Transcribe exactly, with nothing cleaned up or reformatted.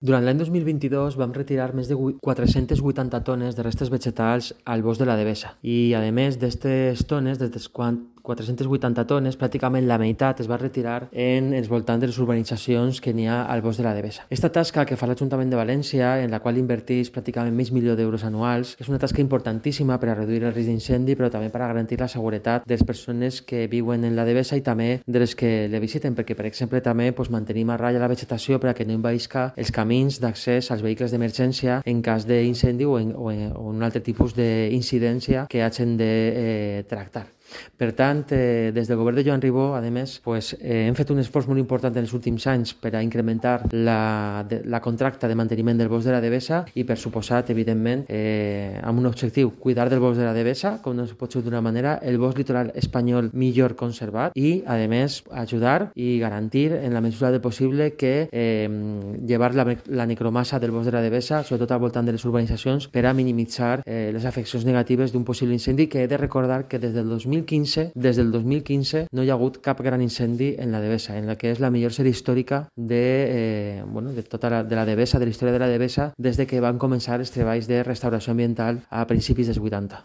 Durant l'any dos mil vint-i-dos vam retirar més de quatre-centes vuitanta tones de restes vegetals al bosc de la Devesa i, a més d'aquestes tones, d'aquestes quatre-centes vuitanta tones, pràcticament la meitat es va retirar en els voltants de les urbanitzacions que n'hi ha al bosc de la Devesa. Esta tasca que fa l'Ajuntament de València, en la qual inverteix pràcticament mig milió d'euros anuals, és una tasca importantíssima per a reduir el risc d'incendi, però també per a garantir la seguretat de les persones que viuen en la Devesa i també de les que la visiten, perquè, per exemple, també pues, mantenim a ratlla la vegetació per a que no envaïsca els camins d'accés als vehicles d'emergència en cas d'incendi o, en, o, en, o un altre tipus d'incidència que hagin de eh, tractar. Per tant, eh, des del govern de Joan Ribó, a més, pues, eh, hem fet un esforç molt important en els últims anys per a incrementar la, de, la contracta de manteniment del bosc de la Devesa i, per suposat, evidentment, eh, amb un objectiu, cuidar del bosc de la Devesa, com no es pot ser d'una manera, el bosc litoral espanyol millor conservat i, a més, ajudar i garantir, en la mesura del possible, que eh, llevar la, la necromassa del bosc de la Devesa, sobretot al voltant de les urbanitzacions, per a minimitzar eh, les afeccions negatives d'un possible incendi, que he de recordar que des del dos mil quinze, des del dos mil quinze no hi ha hagut cap gran incendi en la Devesa, en la que és la millor sèrie històrica de, eh, bueno, de tota la, de la Devesa, de la història de la Devesa, des de que van començar els treballs de restauració ambiental a principis dels vuitanta.